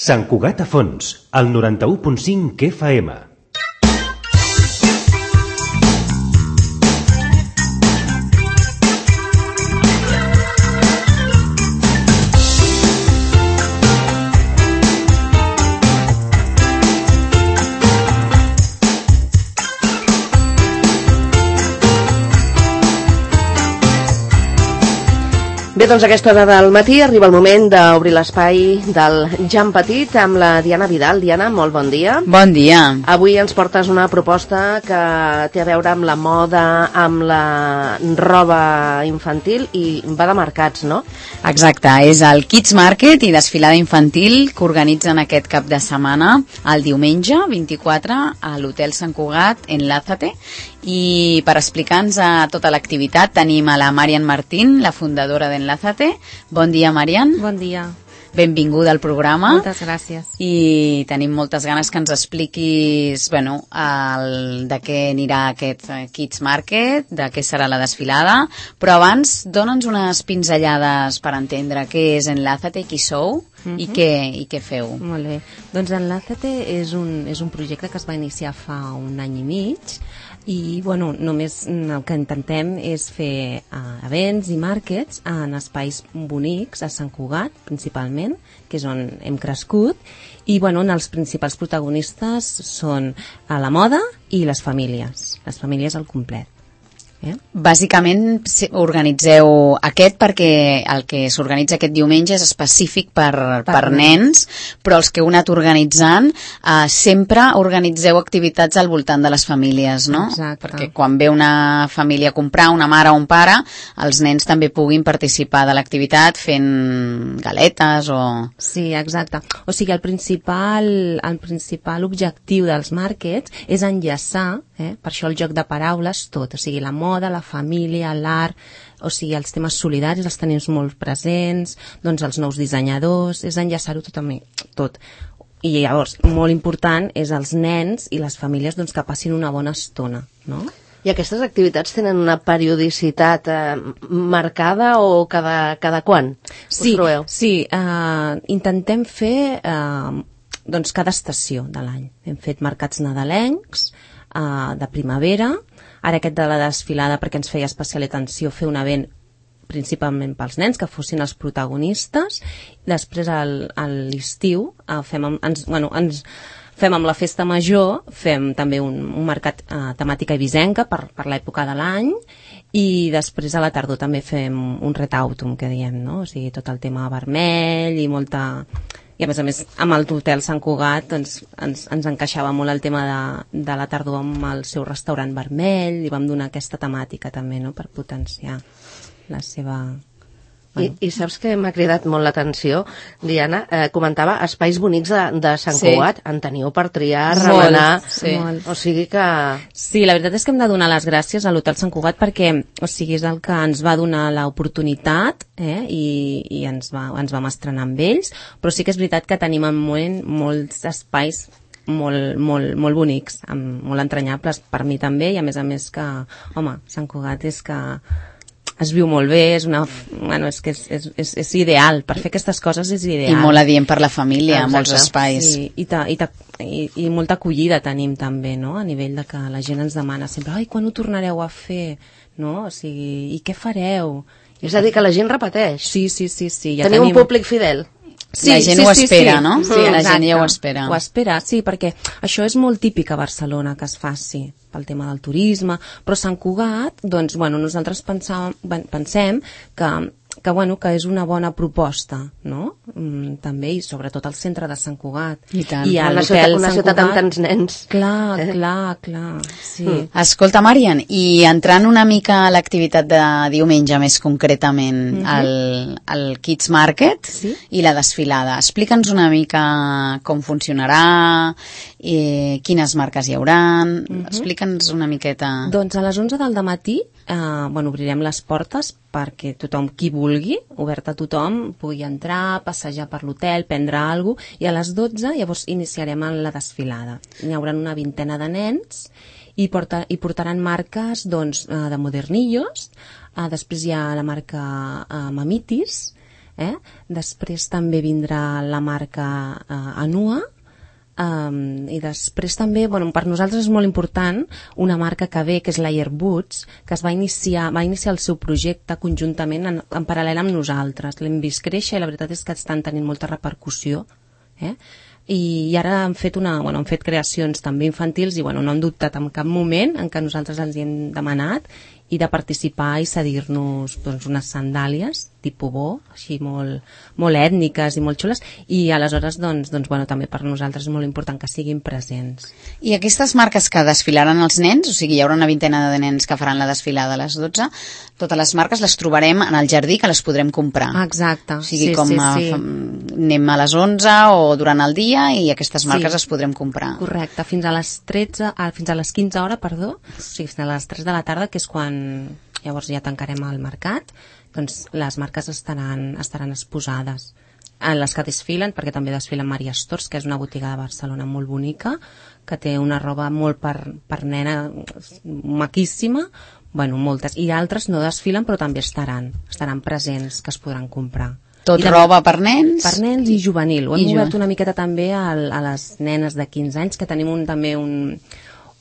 Sant Cugat a Fons, al 91.5 FM. Bé, doncs a aquesta hora del matí arriba el moment d'obrir l'espai del Jan Petit amb la Diana Vidal. Diana, molt bon dia. Bon dia. Avui ens portes una proposta que té a veure amb la moda, amb la roba infantil i va de mercats, no? Exacte, és el Kids Market i desfilada infantil que organitzen aquest cap de setmana el diumenge 24 a l'Hotel Sant Cugat en Lázate. I per explicar-nos tota l'activitat tenim a la Marian Martín, la fundadora d'Enlázate. Bon dia, Marian. Bon dia. Benvinguda al programa. Moltes gràcies. I tenim moltes ganes que ens expliquis de què anirà aquest Kids Market, de què serà la desfilada, però abans dona'ns unes pinzellades per entendre què és Enlázate, qui sou i què feu. Molt bé. Doncs Enlázate és un projecte que es va iniciar fa un any i mig i només el que intentem és fer events i markets en espais bonics a Sant Cugat principalment, que és on hem crescut, i on els principals protagonistes són la moda i les famílies al complet. Bàsicament organitzeu aquest perquè el que s'organitza aquest diumenge és específic per nens, però els que heu anat organitzant sempre organitzeu activitats al voltant de les famílies, no? Exacte. Perquè quan ve una família a comprar, una mare o un pare, els nens també puguin participar de l'activitat fent galetes o... Sí, exacte. O sigui, el principal objectiu dels markets és enllaçar, per això el joc de paraules, tot, o sigui, la moda, la família, l'art, o sigui, els temes solidaris els tenim molt presents, doncs els nous dissenyadors, és enllaçar-ho tot. I llavors, molt important és els nens i les famílies que passin una bona estona, no? I aquestes activitats tenen una periodicitat marcada o cada quan? Sí, intentem fer cada estació de l'any. Hem fet mercats nadalencs, de primavera, ara aquest de la desfilada perquè ens feia especial atenció fer un event principalment pels nens, que fossin els protagonistes. Després a l'estiu fem amb la festa major, fem també un mercat temàtica eivissenca per l'època de l'any, i després a la tardor també fem un ret autumn, que diem, no? O sigui, tot el tema vermell i molta... I a més, amb l'Hotel Sant Cugat ens encaixava molt el tema de la tardor amb el seu restaurant vermell, i vam donar aquesta temàtica també, no?, per potenciar la seva... I saps que m'ha cridat molt l'atenció, Diana? Comentava espais bonics de Sant Cugat. En teniu per triar, remenar... Molt. O sigui que... Sí, la veritat és que hem de donar les gràcies a l'Hotel Sant Cugat perquè, o sigui, és el que ens va donar l'oportunitat i ens vam estrenar amb ells, però sí que és veritat que tenim en moment molts espais molt bonics, molt entranyables per mi també, i a més que, home, Sant Cugat és que... es viu molt bé, és ideal, per fer aquestes coses és ideal. I molt adient per la família, molts espais. Sí, i molta acollida tenim també, no?, a nivell de que la gent ens demana sempre, ai, quan ho tornareu a fer? No? O sigui, i què fareu? És a dir, que la gent repeteix. Sí. Ja Teniu un públic fidel. Sí, la gent ho espera, no? Sí, la gent ja ho espera. Ho espera, sí, perquè això és molt típic a Barcelona que es faci pel tema del turisme, però Sant Cugat, doncs, nosaltres pensem que és una bona proposta, no? També, i sobretot al centre de Sant Cugat. I tant. I una ciutat amb tants nens. Clar, sí. Escolta, Marian, i entrant una mica a l'activitat de diumenge, més concretament, el Kids Market i la desfilada, explica'ns una mica com funcionarà, quines marques hi hauran, explica'ns una miqueta. Doncs a les 11 del dematí obrirem les portes perquè tothom, qui vulgui, obert a tothom, pugui entrar, passejar per l'hotel, prendre alguna cosa, i a les 12 llavors iniciarem la desfilada. Hi haurà una vintena de nens i portaran marques de modernillos, després hi ha la marca Mamitis, Després també vindrà la marca Anua, i després també, per nosaltres és molt important una marca que ve, que és l'Air Boots, que va iniciar el seu projecte conjuntament en paral·lel amb nosaltres. L'hem vist créixer i la veritat és que estan tenint molta repercussió, i ara han fet creacions també infantils i no han dubtat en cap moment en què nosaltres els hi hem demanat i de participar i cedir-nos unes sandàlies tipus bo, així molt ètniques i molt xules, i aleshores també per nosaltres és molt important que siguin presents. I aquestes marques que desfilaran els nens, o sigui, hi haurà una vintena de nens que faran la desfilada a les 12, totes les marques les trobarem en el jardí, que les podrem comprar. Exacte. O sigui, anem a les 11 o durant el dia i aquestes marques les podrem comprar. Correcte, fins a les 15 hores, o sigui, fins a les 3 de la tarda, que és quan llavors ja tancarem el mercat, doncs les marques estaran exposades. Les que desfilen, perquè també desfilen Maria Stores, que és una botiga de Barcelona molt bonica, que té una roba molt per nena maquíssima, moltes, i altres no desfilen però també estaran presents, que es podran comprar. Tot roba per nens? Per nens i juvenil. Ho hem obert una miqueta també a les nenes de 15 anys, que tenim també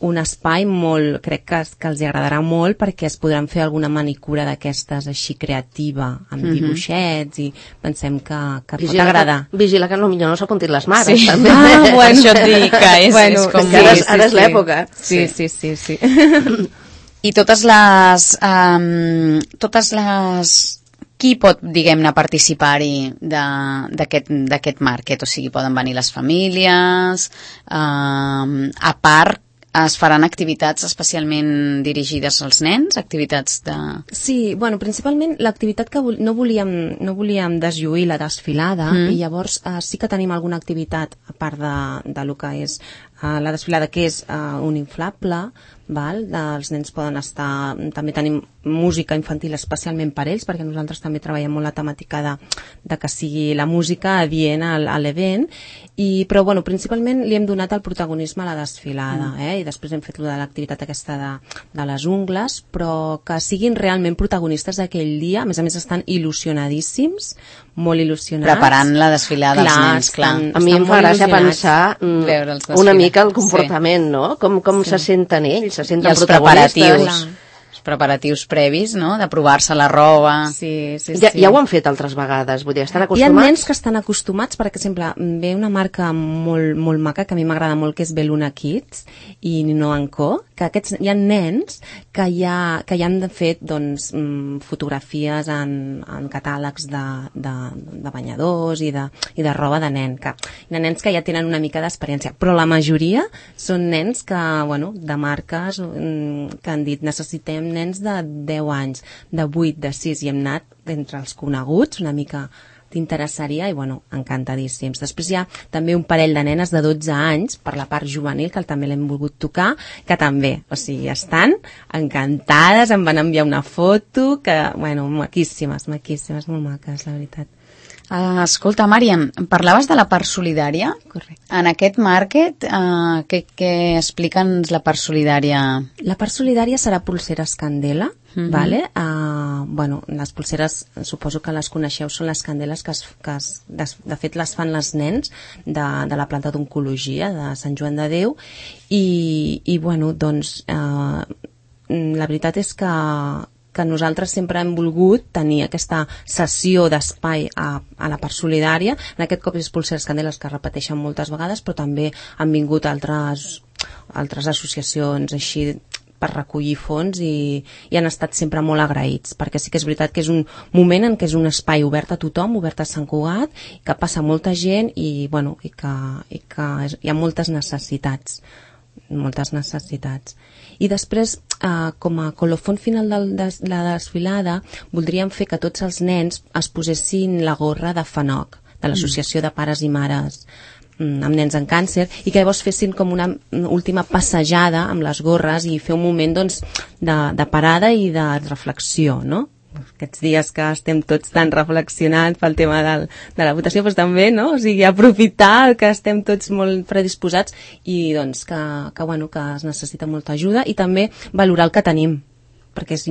un espai molt, crec que els agradarà molt, perquè es podran fer alguna manicura d'aquestes així creativa, amb dibuixets, i pensem que pot agradar. Vigila que potser no s'apuntin les mares, també. Això et dic, que és com... Ara és l'època. Sí. I totes les... Qui pot, diguem-ne, participar-hi d'aquest market? O sigui, poden venir les famílies, a part es faran activitats especialment dirigides als nens, activitats de... Sí, principalment l'activitat que no volíem deslluir la desfilada, i llavors sí que tenim alguna activitat a part de lo que és la desfilada, que és un inflable, els nens poden estar, també tenim música infantil especialment per ells, perquè nosaltres també treballem molt la temàtica de que sigui la música adient a l'event, però principalment li hem donat el protagonisme a la desfilada, i després hem fet de l'activitat aquesta de les ungles, però que siguin realment protagonistes d'aquell dia. A més estan il·lusionadíssims, molt il·lusionats. Preparant la desfilada dels nens, clar. A mi em fa gràcia pensar una mica el comportament, no? Com se senten ells, se senten protagonistes. Els preparatius previs, no?, de provar-se la roba. Sí. Ja ho han fet altres vegades, vull dir, estan acostumats. Hi ha nens que estan acostumats, per exemple, ve una marca molt maca, que a mi m'agrada molt, que és Beluna Kids i Nino & Co, que hi ha nens que ja han fet fotografies en catàlegs de banyadors i de roba de nen, de nens que ja tenen una mica d'experiència, però la majoria són nens que, de marques que han dit necessitem nens de 10 anys, de 8, de 6, i hem anat entre els coneguts, una mica t'interessaria, i encantadíssims. Després hi ha també un parell de nenes de 12 anys, per la part juvenil, que també l'hem volgut tocar, que també, estan encantades, em van enviar una foto, que, maquíssimes, molt maques, la veritat. Escolta, Màriam, parlaves de la part solidària. Correcte. En aquest market, què explica'ns la part solidària? La part solidària serà pulseres Candela, vale? Les pulseres, suposo que les coneixeu, són les candeles que de fet les fan les nens de la planta d'oncologia de Sant Joan de Déu, i la veritat és que nosaltres sempre hem volgut tenir aquesta sessió d'espai a la part solidària. En aquest cop és pulseres Candeles, que repeteixen moltes vegades, però també han vingut altres associacions així per recollir fons, i han estat sempre molt agraïts, perquè sí que és veritat que és un moment en què és un espai obert a tothom, obert a Sant Cugat, que passa molta gent i que hi ha moltes necessitats. I després, com a colofon final de la desfilada, voldríem fer que tots els nens es posessin la gorra de FANOC, de l'Associació de Pares i Mares amb Nens amb Càncer, i que llavors fessin com una última passejada amb les gorres i fer un moment de parada i de reflexió, no? Aquests dies que estem tots tan reflexionant pel tema de la votació, doncs també, no? O sigui, aprofitar que estem tots molt predisposats i que es necessita molta ajuda, i també valorar el que tenim, perquè és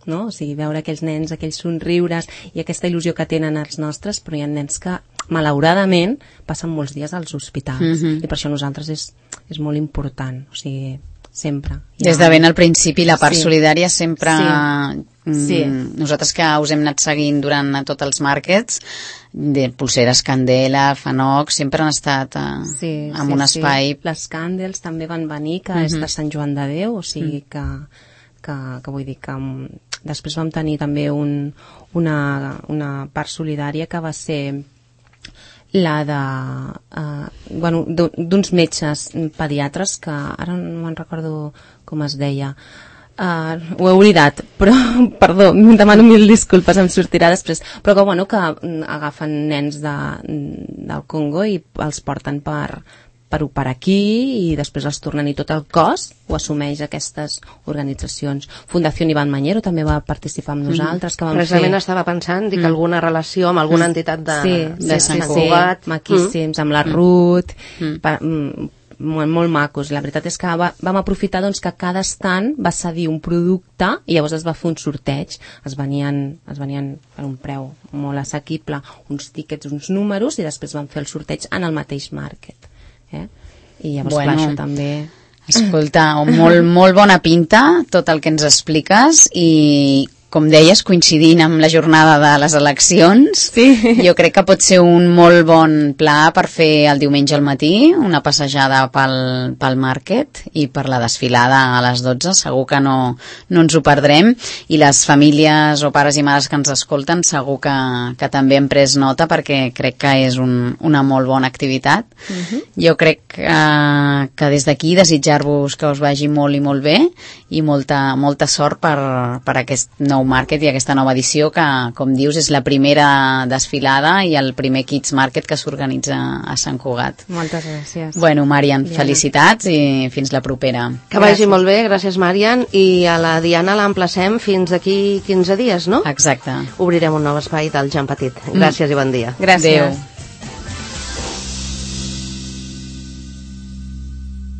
no? O sigui, veure aquells nens, aquells somriures i aquesta il·lusió que tenen els nostres, però hi ha nens que malauradament passen molts dies als hospitals i per això nosaltres és molt important, o sigui, sempre. Des de ben al principi la part solidària sempre... Sí. Nosaltres que us hem anat seguint durant tots els markets, de Pulseres Candela, Fanoc, sempre han estat en un espai... Les Candles també van venir, que és de Sant Joan de Déu, o sigui que vull dir que després vam tenir també una part solidària que va ser la d'uns metges pediatres que ara no me'n recordo com es deia, ho he oblidat, però perdó, demano mil disculpes, em sortirà després, però que agafen nens del Congo i els porten per operar aquí i després els tornen i tot el cost ho assumeix aquestes organitzacions. Fundació Iván Mañero també va participar amb nosaltres. Que precisament estava pensant que alguna relació amb alguna entitat de Sant Cugat. Maquíssims, amb la Ruth, molt macos. La veritat és que vam aprofitar que cada stand va cedir un producte i llavors es va fer un sorteig. Es venien per un preu molt assequible uns tíquets, uns números, i després van fer el sorteig en el mateix market. I llavors clar, això també... Escolta, molt bona pinta tot el que ens expliques i com deies, coincidint amb la jornada de les eleccions, jo crec que pot ser un molt bon pla per fer el diumenge al matí, una passejada pel market i per la desfilada a les 12, segur que no ens ho perdrem, i les famílies o pares i mares que ens escolten segur que també hem pres nota perquè crec que és una molt bona activitat. Jo crec que des d'aquí desitjar-vos que us vagi molt i molt bé i molta sort per aquest nou market i aquesta nova edició que, com dius, és la primera desfilada i el primer Kids Market que s'organitza a Sant Cugat. Moltes gràcies. Bueno, Marian, felicitats i fins la propera. Que vagi molt bé, gràcies, Marian, i a la Diana l'emplacem fins d'aquí 15 dies, no? Exacte. Obrirem un nou espai del Jean Petit. Gràcies i bon dia. Gràcies. Adéu.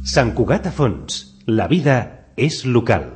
Sant Cugat a fons. La vida és local.